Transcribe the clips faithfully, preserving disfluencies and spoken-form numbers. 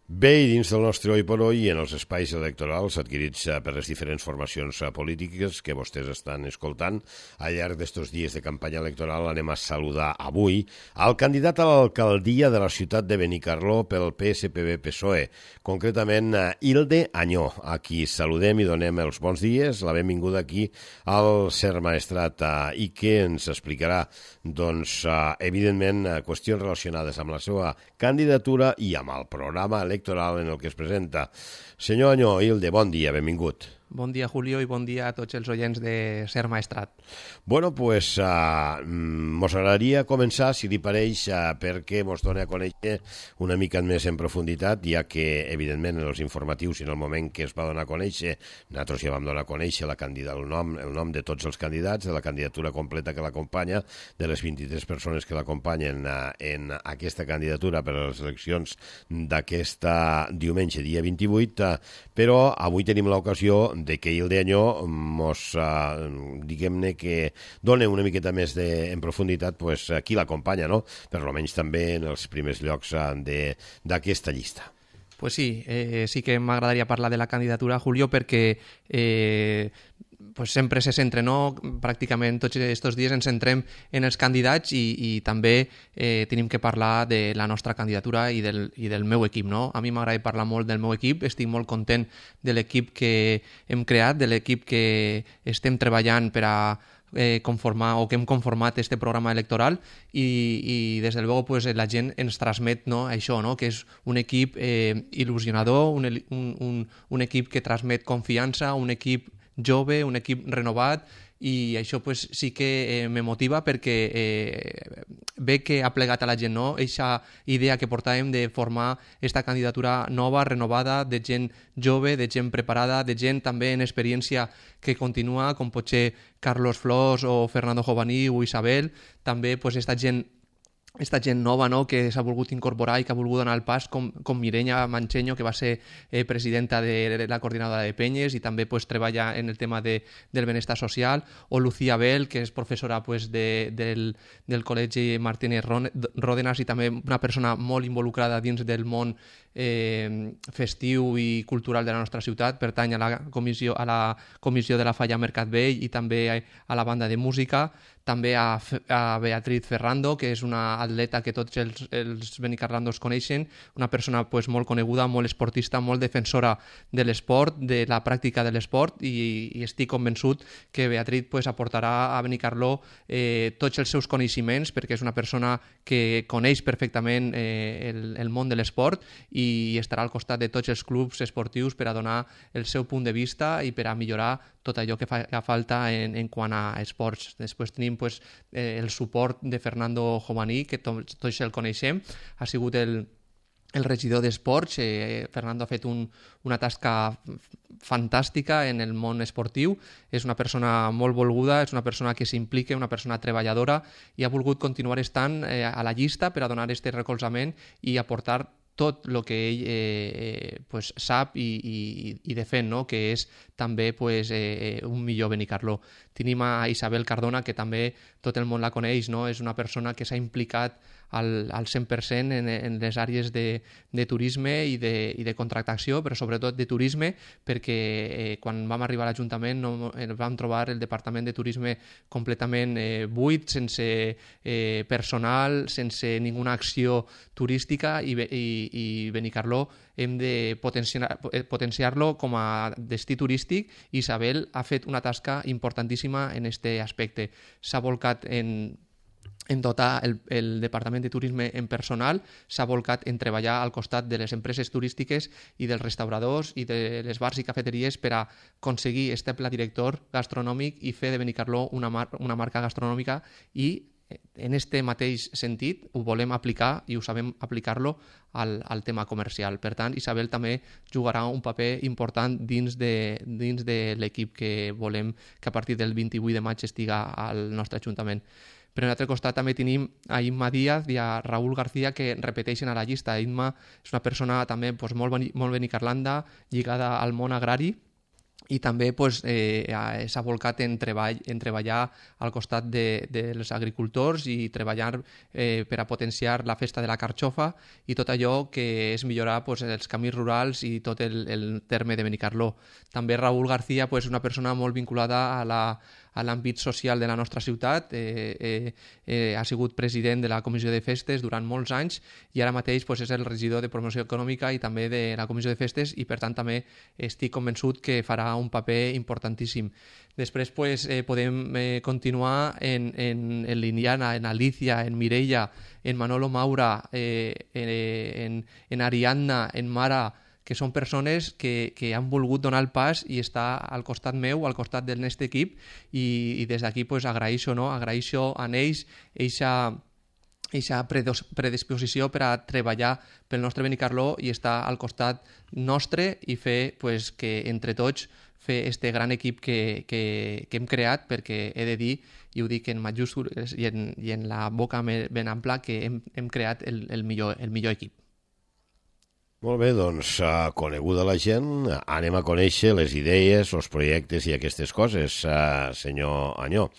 Bé, i dins del nostre oi per oi i en els espais electorals adquirits per les diferents formacions polítiques que vostès estan escoltant, al llarg d'estos dies de campanya electoral anem a saludar avui al candidat a l'alcaldia de la ciutat de Benicarló pel P S P B P S O E, concretament Hilde Añó, a qui saludem i donem els bons dies, la benvinguda aquí al Ser Maestrat i que ens explicarà, doncs, evidentment, qüestions relacionades amb la seva candidatura i amb el programa electoral electoral en el que es presenta. Senyor Añó, Hilde, bon dia, benvingut. Bon dia, Julio, i bon dia a tots els oients de Ser Maestrat. Bueno, pues uh, mos agradaria començar, si li pareix, uh, perquè mos doni a conèixer una mica més en profunditat, ja que, evidentment, en els informatius i en el moment que es va donar a conèixer, nosaltres ja vam donar a conèixer la candidata, el nom, el nom de tots els candidats, de la candidatura completa que l'acompanya, de les vint-i-tres persones que l'acompanyen uh, en aquesta candidatura per a les eleccions d'aquesta diumenge, dia vint-i-vuit, uh, però avui tenim l'ocasió de que Hilde Añó mos, uh, diguem-ne que dona una miqueta més de, en profunditat pues, qui l'acompanya, no? Per almenys també en els primers llocs uh, d'aquesta llista. Pues sí, eh, sí que m'agradaria parlar de la candidatura, Julio, perquè eh, pues sempre se centra, no? Pràcticament tots aquests dies ens centrem en els candidats i, i també eh, tenim que parlar de la nostra candidatura i del, i del meu equip, no? A mi m'agrada parlar molt del meu equip, estic molt content de l'equip que hem creat, de l'equip que estem treballant per a eh, conformar o que hem conformat este programa electoral i, i des de luego pues, la gent ens transmet, no, això, no? Que és un equip eh, il·lusionador, un, un, un, un equip que transmet confiança, un equip jove, un equip renovat, i això pues, sí que eh, me motiva perquè eh, ve que ha plegat a la gent, no? Eixa idea que portàvem de formar esta candidatura nova, renovada, de gent jove, de gent preparada, de gent també en experiència que continua, com pot ser Carlos Flors o Fernando Jovaní o Isabel, també pues, esta gent esta gent nova, no?, que s'ha volgut incorporar i que ha volgut donar el pas, com, com Mireia Mancheño, que va ser eh, presidenta de la coordinadora de Penyes i també pues, treballa en el tema de, del benestar social, o Lucía Bell, que és professora pues, de, del, del Col·legi Martínez Ródenas i també una persona molt involucrada dins del món eh, festiu i cultural de la nostra ciutat, pertany a la comissió, a la comissió de la Falla Mercat Vell i també a la banda de música, també a, a Beatriz Ferrando, que és una atleta que tots els, els benicarlandos coneixen, una persona pues, molt coneguda, molt esportista, molt defensora de l'esport, de la pràctica de l'esport, i, i estic convençut que Beatriz pues, aportarà a Benicarló eh, tots els seus coneixements, perquè és una persona que coneix perfectament eh, el, el món de l'esport i, i estarà al costat de tots els clubs esportius per a donar el seu punt de vista i per a millorar tot allò que fa, que falta en, en quant a esports. Després tenim pues, eh, el suport de Fernando Jovaní, que tots, tots el coneixem, ha sigut el, el regidor d'esports. Eh, Fernando ha fet un, una tasca fantàstica en el món esportiu, és una persona molt volguda, és una persona que s'implica, una persona treballadora i ha volgut continuar estant eh, a la llista per a donar aquest recolzament i aportar tot el que ell eh, pues, sap i, i, i defèn, no? Que és també pues, eh, un millor Benicarló. Tenim a Isabel Cardona, que també tot el món la coneix, no? És una persona que s'ha implicat al, al cent per cent en, en les àrees de, de turisme i de, i de contractació, però sobretot de turisme, perquè eh, quan vam arribar a l'Ajuntament no, vam trobar el Departament de Turisme completament eh, buit, sense eh, personal, sense ninguna acció turística, i, i, i Benicarló hem de potenciar, potenciar-lo com a destí turístic, i Isabel ha fet una tasca importantíssima en aquest aspecte. S'ha volcat en en dotar el, el Departament de Turisme en personal, s'ha volcat en treballar al costat de les empreses turístiques i dels restauradors i de les bars i cafeteries per a aconseguir este pla director gastronòmic i fer de Benicarló una, mar, una marca gastronòmica, i en este mateix sentit ho volem aplicar i ho sabem aplicar-lo al, al tema comercial. Per tant, Isabel també jugarà un paper important dins de, dins de l'equip que volem que a partir del vint-i-vuit de maig estiga al nostre Ajuntament. Per un altre costat també tenim a Imma Díaz i a Raúl García, que repeteixen a la llista. Imma és una persona també pues, molt, molt benicarlanda, lligada al món agrari, i també pues, eh, s'ha volcat en, treball, en treballar al costat de, dels agricultors i treballar eh, per a potenciar la festa de la carxofa i tot allò que és millorar pues, els camins rurals i tot el, el terme de Benicarló. També Raúl García, pues, una persona molt vinculada a la a l'àmbit social de la nostra ciutat, eh, eh, eh, ha sigut president de la Comissió de Festes durant molts anys i ara mateix pues, és el regidor de Promoció Econòmica i també de la Comissió de Festes i per tant també estic convençut que farà un paper importantíssim. Després pues, eh, podem eh, continuar en, en, en l'Indiana, en Alicia, en Mireia, en Manolo Maura, eh, en, en Ariadna, en Mara, que són persones que, que han volgut donar el pas i estar al costat meu, al costat del nostre equip i, i des d'aquí pues, agraeixo, no? agraeixo a ells aquesta predisposició per a treballar pel nostre Benicarló i estar al costat nostre i fer pues, que entre tots fer este gran equip que, que, que hem creat, perquè he de dir, i ho dic en majúscules i en, i en la boca ben ampla, que hem, hem creat el, el, millor, el millor equip. Molt bé, doncs, uh, coneguda la gent, anem a conèixer les idees, els projectes i aquestes coses, uh, senyor Anyó.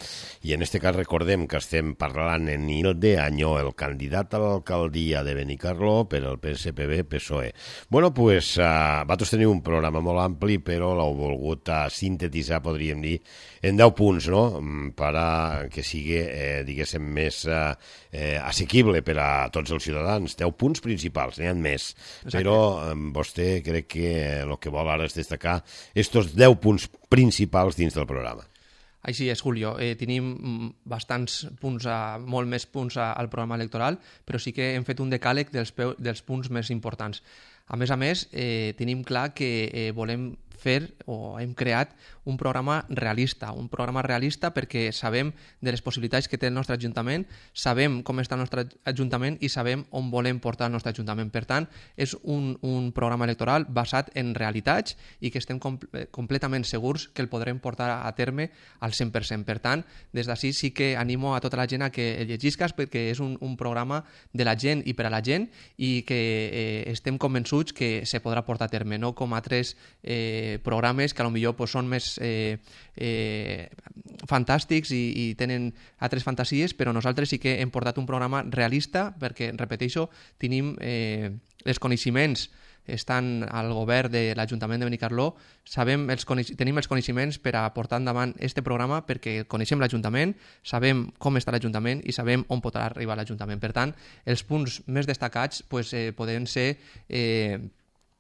I en este cas recordem que estem parlant en Nilde Anyó, el candidat a l'alcaldia de Benicarló per al P S P B P S O E. Bueno, pues, uh, vosaltres teniu un programa molt ampli, però l'heu volgut uh, sintetitzar, podríem dir, en deu punts, no?, per a que sigui, eh, diguéssim, més uh, eh, assequible per a tots els ciutadans. deu punts principals, n'hi ha més, Exacte. Però vostè crec que el que vol ara és destacar estos deu punts principals dins del programa. Així és, Julio. Eh, tenim bastants punts, a, molt més punts a, al programa electoral, però sí que hem fet un decàleg dels, dels punts més importants. A més a més, eh, tenim clar que eh, volem fer o hem creat un programa realista, un programa realista perquè sabem de les possibilitats que té el nostre Ajuntament, sabem com està el nostre Ajuntament i sabem on volem portar el nostre Ajuntament. Per tant, és un, un programa electoral basat en realitats i que estem com, completament segurs que el podrem portar a terme al cent per cent. Per tant, des d'ací sí que animo a tota la gent a que el llegisques perquè és un, un programa de la gent i per a la gent i que eh, estem convençuts que se podrà portar a terme, no com altres eh, programes que potser pues, són més eh, eh, fantàstics i, i tenen altres fantasies, però nosaltres sí que hem portat un programa realista perquè, repeteixo, tenim eh, els coneixements estan al govern de l'Ajuntament de Benicarló, sabem els tenim els coneixements per a portar endavant aquest programa perquè coneixem l'Ajuntament, sabem com està l'Ajuntament i sabem on pot arribar l'Ajuntament. Per tant, els punts més destacats pues, eh, poden ser eh,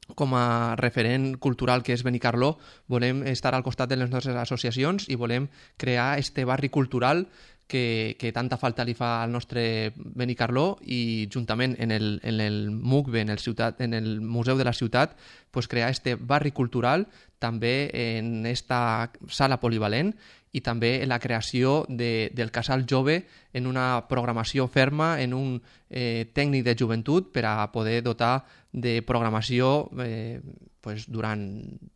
com a referent cultural que és Benicarló, volem estar al costat de les nostres associacions i volem crear este barri cultural que, que tanta falta li fa al nostre Benicarló i juntament en el, en el M U C B, en el, ciutat, en el Museu de la Ciutat, pues crear este barri cultural també en esta sala polivalent i també en la creació de, del Casal Jove en una programació ferma, en un eh, tècnic de joventut per a poder dotar de programació eh, pues, durant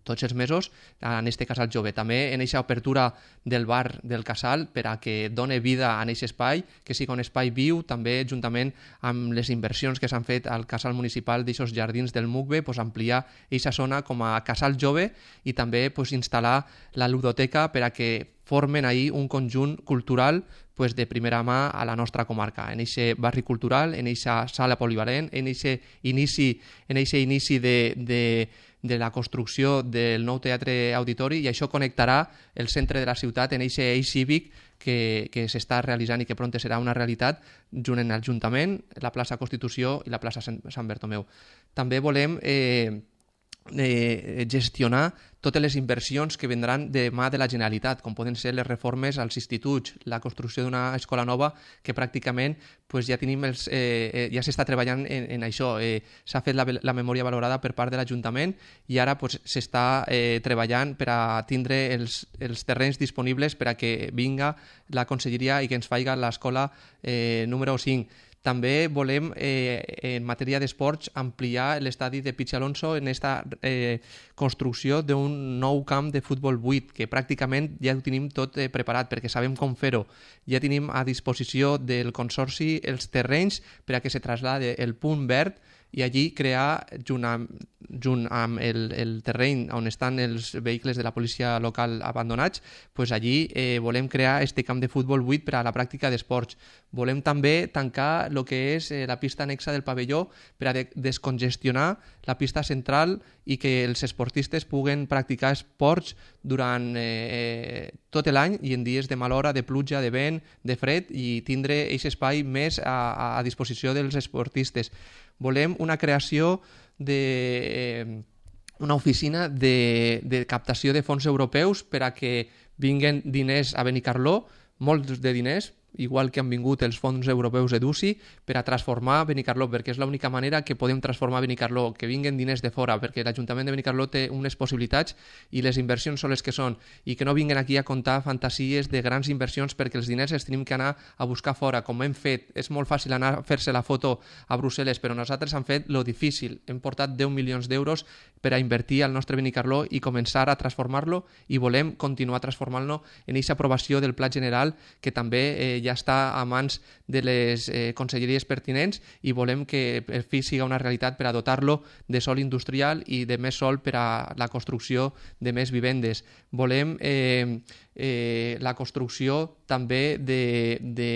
tots els mesos en aquest Casal Jove. També en aquesta obertura del bar del Casal per a que done vida a aquest espai, que sigui un espai viu, també juntament amb les inversions que s'han fet al Casal Municipal d'aquests jardins del M U C B, pues, ampliar aquesta zona com a Casal Jove i també pues, instal·lar la ludoteca per a que formen ahir un conjunt cultural pues, de primera mà a la nostra comarca, en aquest barri cultural, en aquesta sala polivalent, en aquest inici, en aquest inici de, de, de la construcció del nou teatre auditori i això connectarà el centre de la ciutat en aquest eix cívic que, que s'està realitzant i que pront serà una realitat junt en l'Ajuntament, la plaça Constitució i la plaça Sant Bertomeu. També volem eh, eh, gestionar totes les inversions que vendran de mà de la Generalitat, com poden ser les reformes als instituts, la construcció d'una escola nova que pràcticament pues, ja tenim els, eh, ja s'està treballant en, en això. Eh, s'ha fet la, la memòria valorada per part de l'Ajuntament i ara pues, s'està eh, treballant per a tindre els, els terrenys disponibles per a que vinga la conselleria i que ens faci l'escola eh, número cinc. També volem, eh, en matèria d'esports, ampliar l'estadi de Pichi Alonso en aquesta eh, construcció d'un nou camp de futbol vuit, que pràcticament ja ho tenim tot eh, preparat, perquè sabem com fer-ho. Ja tenim a disposició del Consorci els terrenys per a que se traslade el punt verd i allí crear, junt amb junt amb el, el terreny on estan els vehicles de la policia local abandonats, pues allí eh, volem crear este camp de futbol buit per a la pràctica d'esports. Volem també tancar el que és eh, la pista anexa del pavelló per a de descongestionar la pista central i que els esportistes puguen practicar esports durant eh, tot l'any i en dies de mal hora, de pluja, de vent, de fred, i tindre aquest espai més a, a disposició dels esportistes. Volem una creació de... Eh, una oficina de, de captació de fons europeus per a que vinguen diners a Benicarló, molts de diners, igual que han vingut els fons europeus EDUSI, per a transformar Benicarló, perquè és l'única manera que podem transformar Benicarló, que vinguen diners de fora, perquè l'Ajuntament de Benicarló té unes possibilitats i les inversions són les que són, i que no vinguen aquí a contar fantasies de grans inversions, perquè els diners els tenim que anar a buscar fora, com hem fet. És molt fàcil anar a fer-se la foto a Brussel·les, però nosaltres hem fet lo difícil. Hem portat deu milions d'euros per a invertir al nostre Benicarló i començar a transformar-lo, i volem continuar transformant-lo en aquesta aprovació del Pla General, que també eh, ja està a mans de les eh, conselleries pertinents, i volem que per fi siga una realitat per a dotar-lo de sòl industrial i de més sòl per a la construcció de més vivendes. Volem eh, eh, la construcció també de, de,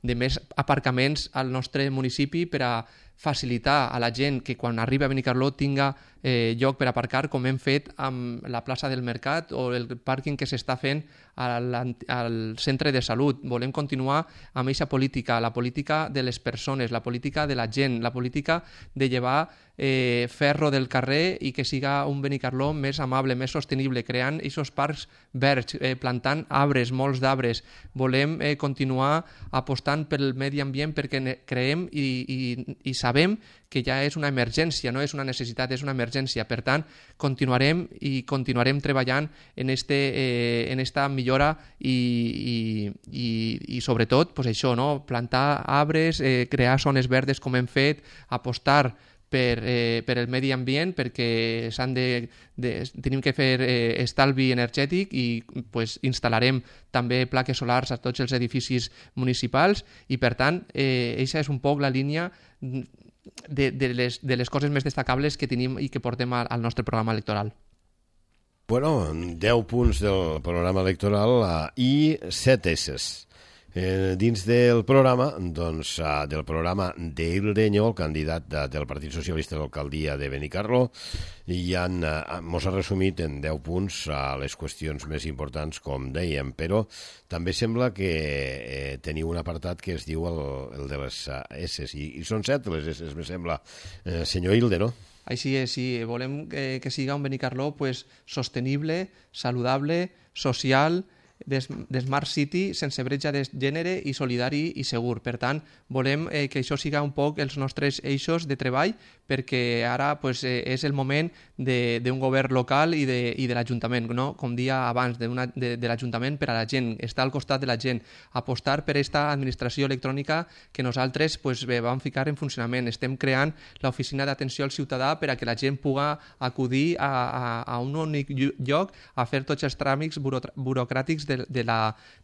de més aparcaments al nostre municipi per a facilitar a la gent que quan arriba a Benicarló tinga eh, lloc per aparcar, com hem fet amb la plaça del Mercat o el pàrquing que s'està fent al, al centre de salut. Volem continuar amb aquesta política, la política de les persones, la política de la gent, la política de llevar eh, ferro del carrer i que siga un Benicarló més amable, més sostenible, creant aquests parcs verds, eh, plantant arbres, molts d'arbres. Volem eh, continuar apostant pel medi ambient perquè creem i, i, i sabem que ja és una emergència, no és una necessitat, és una emergència. Per tant, continuarem i continuarem treballant en, este, eh, en esta millora i, i, i, i sobretot pues això, no? Plantar arbres, eh, crear zones verdes com hem fet, apostar per, eh, per el medi ambient, perquè s'han de, de, tenim que fer eh, estalvi energètic i pues, instal·larem també plaques solars a tots els edificis municipals, i per tant, eh, aquesta és un poc la línia de, de, les, de les coses més destacables que tenim i que portem al, al nostre programa electoral. Bueno, deu punts del programa electoral uh, i set esses. Eh, dins del programa, doncs, uh, del programa d'Ildeño, el candidat de, del Partit Socialista a l'alcaldia de Benicarló, i han, uh, mos ha resumit en deu punts uh, les qüestions més importants, com dèiem, però també sembla que eh, teniu un apartat que es diu el, el de les uh, S's, i, i són set les S's, me sembla, eh, senyor Hilde, no? Així és, sí. Volem que, que siga un Benicarló pues, sostenible, saludable, social, de, de Smart City, sense bretxa de gènere i solidari i segur. Per tant, volem eh, que això siga un poc els nostres eixos de treball, perquè ara pues, eh, és el moment d'un govern local i de, i de l'Ajuntament, no? Com dia abans, de, una, de, de l'Ajuntament per a la gent, estar al costat de la gent, apostar per aquesta administració electrònica que nosaltres pues, bé, vam ficar en funcionament. Estem creant l'oficina d'atenció al ciutadà per a que la gent pugui acudir a, a, a un únic lloc a fer tots els tràmits burocràtics de,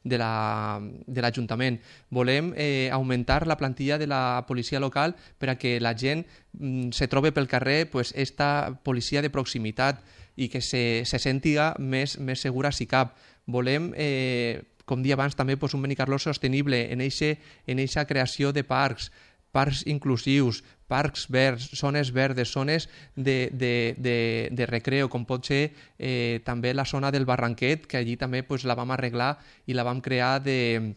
de l'Ajuntament. Volem eh, augmentar la plantilla de la policia local per a que la gent mm, se trobe pel carrer pues, esta policia de proximitat i que se, se sentiga més, més segura si cap. Volem, eh, com dia abans, també pues, un Benicarló sostenible en aquesta creació de parcs, parcs inclusius, parcs verds, zones verdes, zones de, de, de, de recreo, com pot ser eh, també la zona del Barranquet, que allí també pues, la vam arreglar i la vam crear de,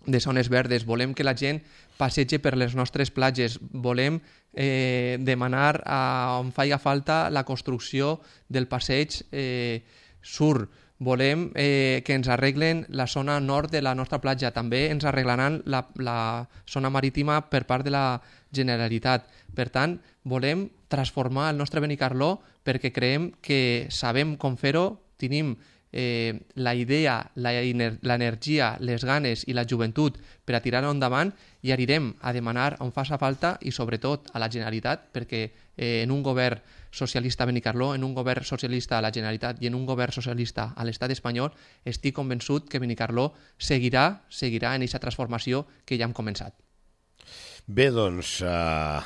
de zones verdes. Volem que la gent passegi per les nostres platges. Volem eh, demanar a on faci falta la construcció del passeig eh, sur. Volem eh, que ens arreglen la zona nord de la nostra platja. També ens arreglaran la, la zona marítima per part de la Generalitat. Per tant, volem transformar el nostre Benicarló perquè creiem que sabem com fer-ho, tenim eh, la idea, l'energia, les ganes i la joventut per a tirar-ho endavant, i anirem a demanar on faci falta i sobretot a la Generalitat, perquè eh, en un govern socialista a Benicarló, en un govern socialista a la Generalitat i en un govern socialista a l'estat espanyol, estic convençut que Benicarló seguirà, seguirà en aquesta transformació que ja hem començat. Bé, doncs, eh,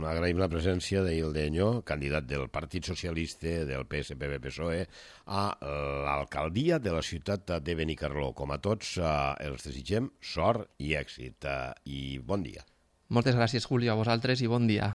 agraïm la presència d'Ildeño, candidat del Partit Socialista del P S P B P S O E a l'alcaldia de la ciutat de Benicarló. Com a tots, eh, els desitgem sort i èxit. Eh, I bon dia. Moltes gràcies, Julio, a vosaltres i bon dia.